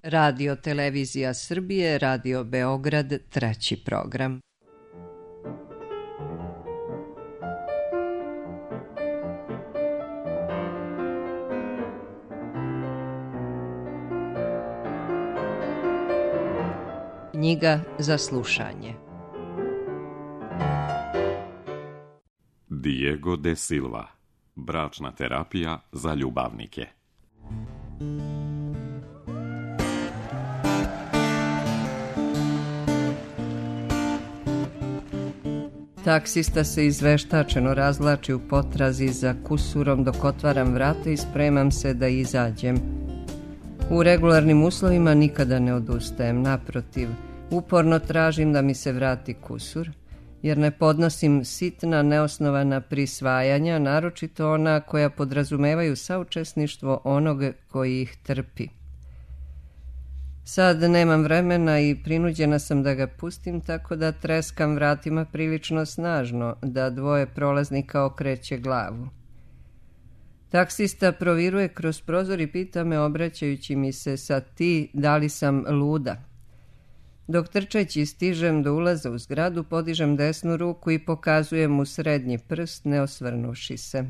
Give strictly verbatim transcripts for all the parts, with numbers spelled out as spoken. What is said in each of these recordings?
Radio Televizija Srbije, Radio Beograd, treći program. Knjiga za slušanje. Diego de Silva. Bračna terapija za ljubavnike. Taksista se izveštačeno razvlači u potrazi za kusurom dok otvaram vrata i spremam se da izađem. U regularnim uslovima nikada ne odustajem, naprotiv, uporno tražim da mi se vrati kusur, jer ne podnosim sitna, neosnovana prisvajanja, naročito ona koja podrazumevaju saučesništvo onog koji ih trpi. Sad nemam vremena i prinuđena sam da ga pustim, tako da treskam vratima prilično snažno, da dvoje prolaznika okreće glavu. Taksista proviruje kroz prozor i pita me, obraćajući mi se sa ti, da li sam luda. Dok trčeći stižem do ulaza u zgradu, podižem desnu ruku i pokazujem mu srednji prst, ne osvrnuši se.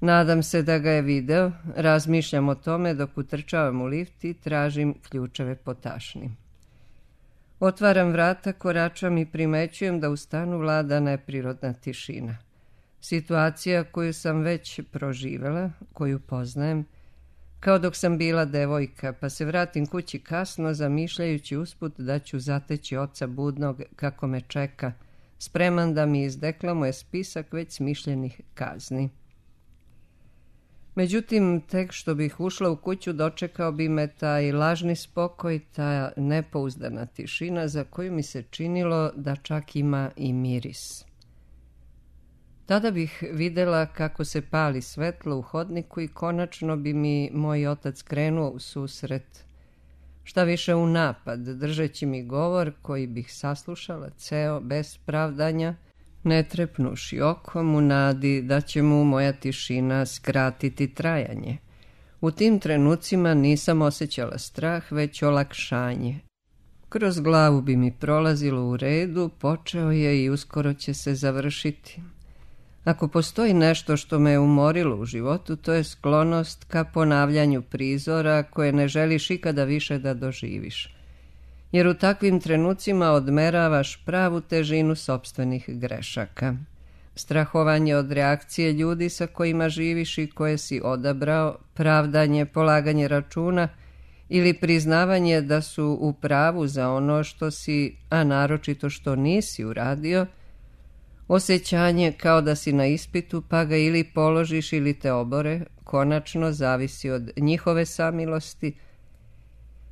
Nadam se da ga je video, razmišljam o tome dok utrčavam u lift i tražim ključeve po tašni. Otvaram vrata, koračam i primećujem da u stanu vlada neprirodna tišina. Situacija koju sam već proživela, koju poznajem, kao dok sam bila devojka, pa se vratim kući kasno, zamišljajući usput da ću zateći oca budnog kako me čeka, spreman da mi izdeklamuje spisak već smišljenih kazni. Međutim, tek što bih ušla u kuću, dočekao bi me taj lažni spokoj, ta nepouzdana tišina za koju mi se činilo da čak ima i miris. Tada bih videla kako se pali svetlo u hodniku i konačno bi mi moj otac krenuo u susret. Šta više u napad, držeći mi govor koji bih saslušala ceo, bez pravdanja, ne trepnuši okom u nadi da će mu moja tišina skratiti trajanje. U tim trenucima nisam osjećala strah, već olakšanje. Kroz glavu bi mi prolazilo u redu, počeo je i uskoro će se završiti. Ako postoji nešto što me je umorilo u životu, to je sklonost ka ponavljanju prizora koje ne želiš ikada više da doživiš. Jer u takvim trenucima odmeravaš pravu težinu sopstvenih grešaka. Strahovanje od reakcije ljudi sa kojima živiš i koje si odabrao, pravdanje, polaganje računa ili priznavanje da su u pravu za ono što si, a naročito što nisi uradio, osjećanje kao da si na ispitu pa ga ili položiš ili te obore, konačno zavisi od njihove samilosti,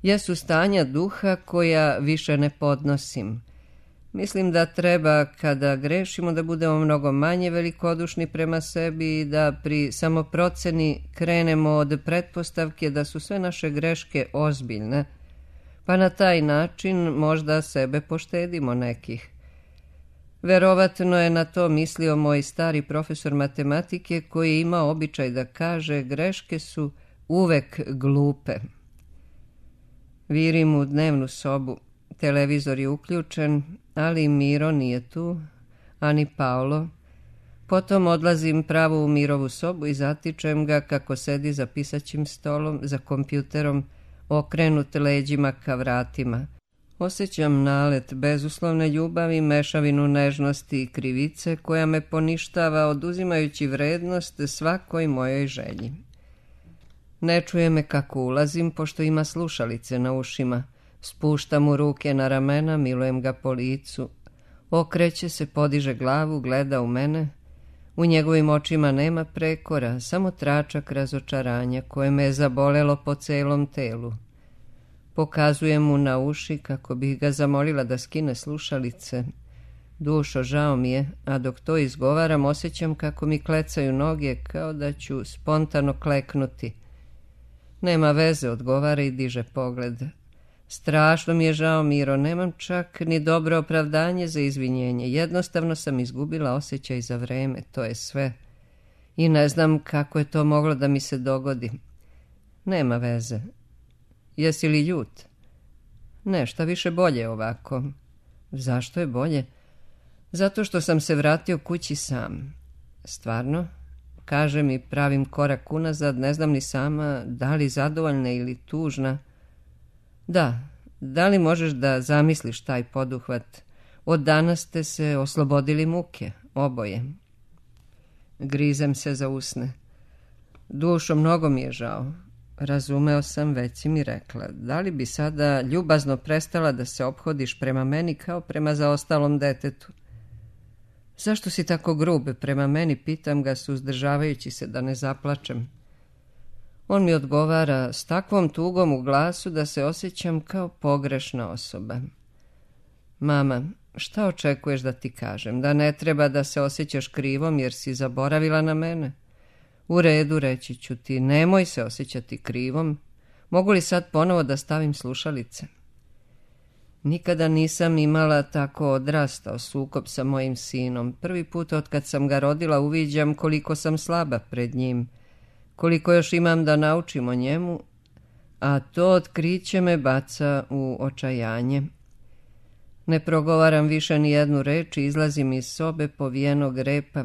jesu stanja duha koja više ne podnosim. Mislim da treba kada grešimo da budemo mnogo manje velikodušni prema sebi i da pri samoproceni krenemo od pretpostavke da su sve naše greške ozbiljne, pa na taj način možda sebe poštedimo nekih. Verovatno je na to mislio moj stari profesor matematike koji je imao običaj da kaže greške su uvek glupe. Virim u dnevnu sobu, televizor je uključen, ali Miro nije tu, ani Paolo. Potom odlazim pravo u Mirovu sobu i zatičem ga kako sedi za pisaćim stolom, za kompjuterom, okrenut leđima ka vratima. Osjećam nalet bezuslovne ljubavi, mešavinu nežnosti i krivice koja me poništava, oduzimajući vrednost svakoj mojoj želji. Ne čuje me kako ulazim, pošto ima slušalice na ušima. Spuštam mu ruke na ramena, milujem ga po licu. Okreće se, podiže glavu, gleda u mene. U njegovim očima nema prekora, samo tračak razočaranja koje me je zabolelo po celom telu. Pokazujem mu na uši kako bih ga zamolila da skine slušalice. Dušo, žao mi je, a dok to izgovaram osjećam kako mi klecaju noge kao da ću spontano kleknuti. Nema veze, odgovara i diže pogled. Strašno mi je žao, Miro, nemam čak ni dobro opravdanje za izvinjenje. Jednostavno sam izgubila osjećaj za vreme, to je sve. I ne znam kako je to moglo da mi se dogodi. Nema veze. Jesi li ljut? Ne, šta više bolje ovako. Zašto je bolje? Zato što sam se vratio kući sam. Stvarno? Kažem i pravim korak unazad, ne znam ni sama da li zadovoljna ili tužna. Da, da li možeš da zamisliš taj poduhvat? Od danas ste se oslobodili muke, oboje. Grizem se za usne. Dušo, mnogo mi je žao. Razumeo sam, već si mi rekla. Da li bi sada ljubazno prestala da se ophodiš prema meni kao prema zaostalom detetu? Zašto si tako grub prema meni, pitam ga, suzdržavajući se da ne zaplačem. On mi odgovara s takvom tugom u glasu da se osjećam kao pogrešna osoba. Mama, šta očekuješ da ti kažem? Da ne treba da se osjećaš krivom jer si zaboravila na mene? U redu, reći ću ti, nemoj se osjećati krivom. Mogu li sad ponovo da stavim slušalice? Nikada nisam imala tako odrastao sukob sa mojim sinom. Prvi put od kad sam ga rodila uviđam koliko sam slaba pred njim, koliko još imam da naučim o njemu, a to otkriće me baca u očajanje. Ne progovaram više ni jednu reč i izlazim iz sobe povijenog repa.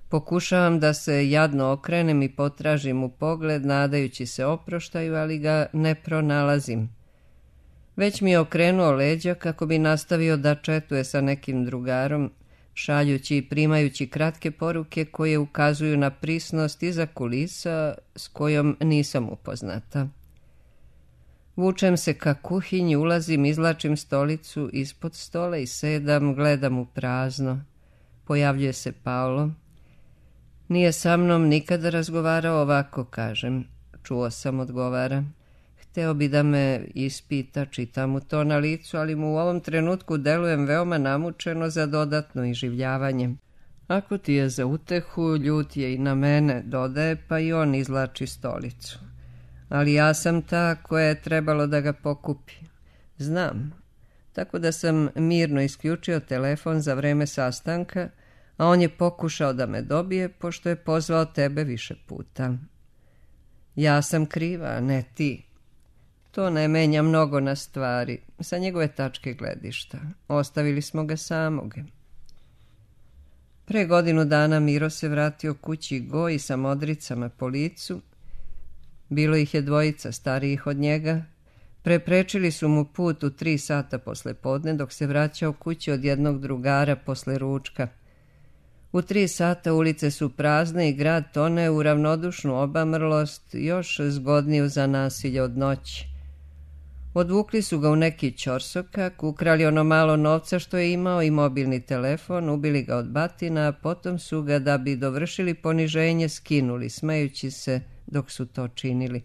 Pokušavam da se jadno okrenem i potražim u pogled, nadajući se oproštaju, ali ga ne pronalazim. Već mi je okrenuo leđa kako bi nastavio da četuje sa nekim drugarom, šaljući i primajući kratke poruke koje ukazuju na prisnost iza kulisa s kojom nisam upoznata. Vučem se ka kuhinji, ulazim, izlačim stolicu ispod stola i sedam, gledam u prazno. Pojavljuje se Paolo. Nije sa mnom nikada razgovarao ovako, kažem. Čuo sam, odgovara. Hteo bi da me ispita, čitam mu to na licu, ali mu u ovom trenutku delujem veoma namučeno za dodatno iživljavanje. Ako ti je za utehu, ljut je i na mene, dodaje, pa i on izlači stolicu. Ali ja sam ta koja je trebalo da ga pokupi. Znam. Tako da sam mirno isključio telefon za vreme sastanka, a on je pokušao da me dobije, pošto je pozvao tebe više puta. Ja sam kriva, a ne ti. To ne menja mnogo na stvari, sa njegove tačke gledišta. Ostavili smo ga samog. Pre godinu dana Miro se vratio kući goji sa modricama po licu. Bilo ih je dvojica starijih od njega. Preprečili su mu put u tri sata posle podne, dok se vraćao kući od jednog drugara posle ručka. U tri sata ulice su prazne i grad tone u ravnodušnu obamrlost, još zgodniju za nasilje od noći. Odvukli su ga u neki ćorsokak, ukrali ono malo novca što je imao i mobilni telefon, ubili ga od batina, a potom su ga, da bi dovršili poniženje, skinuli, smejući se dok su to činili.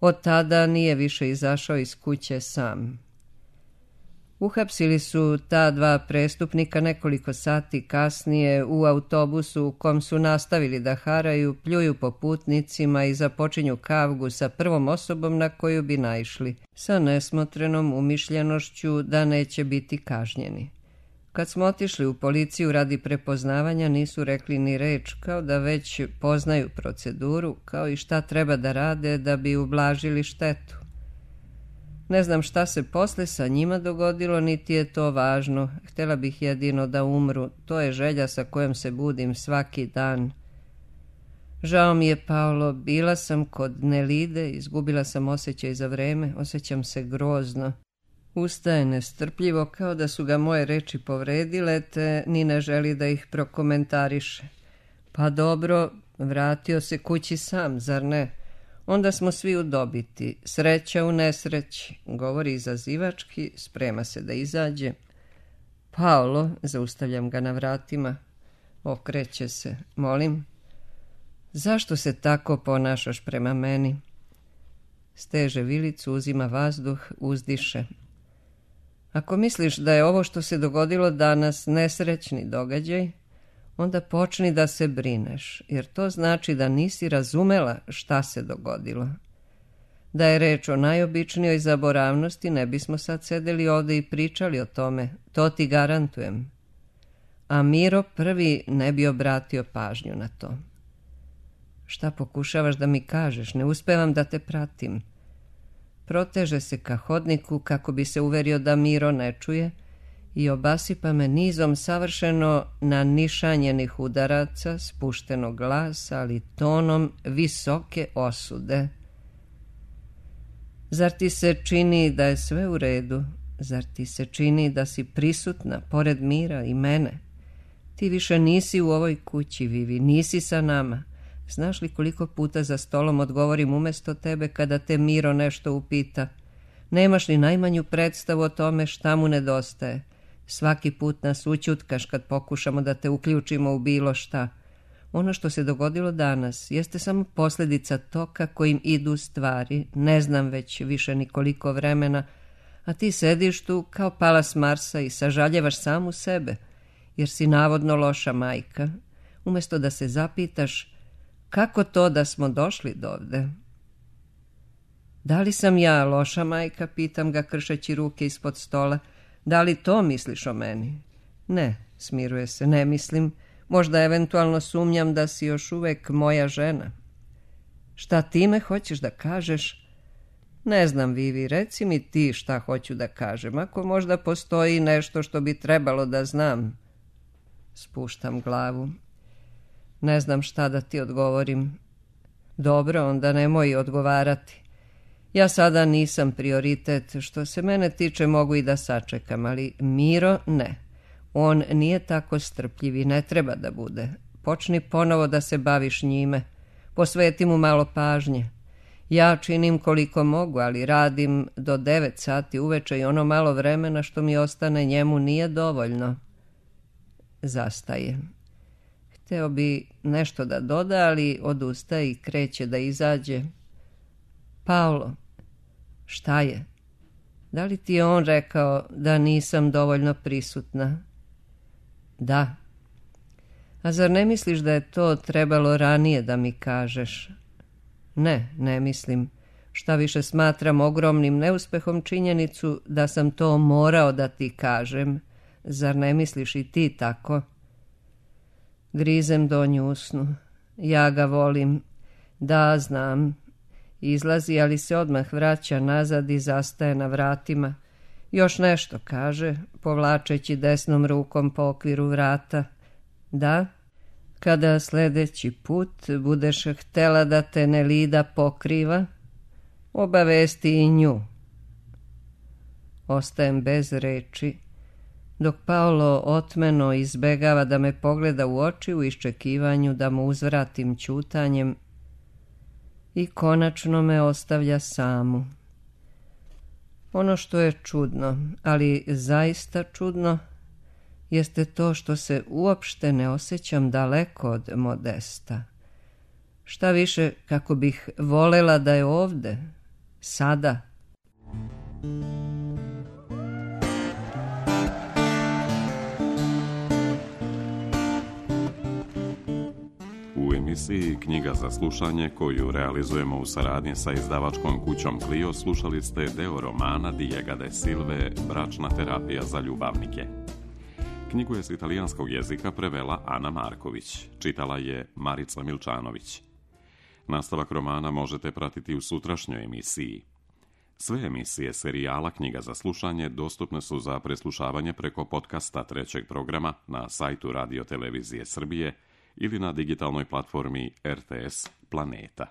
Od tada nije više izašao iz kuće sam. Uhapsili su ta dva prestupnika nekoliko sati kasnije u autobusu u kom su nastavili da haraju, pljuju po putnicima i započinju kavgu sa prvom osobom na koju bi naišli, sa nesmotrenom umišljenošću da neće biti kažnjeni. Kad smo otišli u policiju radi prepoznavanja, nisu rekli ni reč, kao da već poznaju proceduru, kao i šta treba da rade da bi ublažili štetu. Ne znam šta se posle sa njima dogodilo, niti je to važno. Htjela bih jedino da umru. To je želja sa kojom se budim svaki dan. Žao mi je, Paolo, bila sam kod Nelide, izgubila sam osjećaj za vreme, osjećam se grozno. Ustaje nestrpljivo, kao da su ga moje reči povredile, te ni ne želi da ih prokomentariše. Pa dobro, vratio se kući sam, zar ne? Onda smo svi u dobiti. Sreća u nesreći, govori izazivački, sprema se da izađe. Paolo, zaustavljam ga na vratima, okreće se. Molim, zašto se tako ponašaš prema meni? Steže vilicu, uzima vazduh, uzdiše. Ako misliš da je ovo što se dogodilo danas nesrećni događaj, onda počni da se brineš, jer to znači da nisi razumela šta se dogodilo. Da je reč o najobičnijoj zaboravnosti, ne bismo sad sedeli ovde i pričali o tome, to ti garantujem. A Miro prvi ne bi obratio pažnju na to. Šta pokušavaš da mi kažeš? Ne uspevam da te pratim. Proteže se ka hodniku kako bi se uverio da Miro ne čuje i obasipa me nizom savršeno nanišanjenih udaraca, spuštenog glasa, ali tonom visoke osude. Zar ti se čini da je sve u redu? Zar ti se čini da si prisutna pored Mira i mene? Ti više nisi u ovoj kući, Vivi, nisi sa nama. Znaš li koliko puta za stolom odgovorim umjesto tebe kada te Miro nešto upita? Nemaš li najmanju predstavu o tome šta mu nedostaje? Svaki put nas učutkaš kad pokušamo da te uključimo u bilo šta. Ono što se dogodilo danas jeste samo posljedica toka kojim idu stvari, ne znam već više ni koliko vremena, a ti sediš tu kao pala s Marsa i sažaljevaš samu sebe, jer si navodno loša majka, umjesto da se zapitaš kako to da smo došli dovde. Da li sam ja loša majka, pitam ga kršeći ruke ispod stola, da li to misliš o meni? Ne, smiruje se, ne mislim, možda eventualno sumnjam da si još uvek moja žena. Šta time hoćeš da kažeš? Ne znam, Vivi, reci mi ti šta hoću da kažem, ako možda postoji nešto što bi trebalo da znam. Spuštam glavu. Ne znam šta da ti odgovorim. Dobro, onda nemoj odgovarati. Ja sada nisam prioritet, što se mene tiče mogu i da sačekam, ali Miro ne. On nije tako strpljiv i ne treba da bude. Počni ponovo da se baviš njime. Posveti mu malo pažnje. Ja činim koliko mogu, ali radim do devet sati uveče i ono malo vremena što mi ostane njemu nije dovoljno. Zastaje. Hteo bi nešto da doda, ali odustaje i kreće da izađe. Paolo, šta je? Da li ti je on rekao da nisam dovoljno prisutna? Da. A zar ne misliš da je to trebalo ranije da mi kažeš? Ne, ne mislim. Šta više smatram ogromnim neuspehom činjenicu da sam to morao da ti kažem. Zar ne misliš i ti tako? Grizem donju usnu. Ja ga volim. Da, znam. Izlazi, ali se odmah vraća nazad i zastaje na vratima. Još nešto kaže, povlačeći desnom rukom po okviru vrata. Da, kada sljedeći put budeš htela da te Nelida pokriva, obavesti i nju. Ostajem bez reči, dok Paolo otmeno izbegava da me pogleda u oči u iščekivanju da mu uzvratim ćutanjem i konačno me ostavlja samu. Ono što je čudno, ali zaista čudno, jeste to što se uopšte ne osjećam daleko od Modesta. Šta više, kako bih volela da je ovde, sada. U emisiji Knjiga za slušanje, koju realizujemo u saradnji sa izdavačkom kućom Clio, slušali ste deo romana Diego de Silve Bračna terapija za ljubavnike. Knjigu je s italijanskog jezika prevela Ana Marković, čitala je Marica Milčanović. Nastavak romana možete pratiti u sutrašnjoj emisiji. Sve emisije serijala Knjiga za slušanje dostupne su za preslušavanje preko podcasta trećeg programa na sajtu Radio Televizije Srbije ili na digitalnoj platformi R T S Planeta.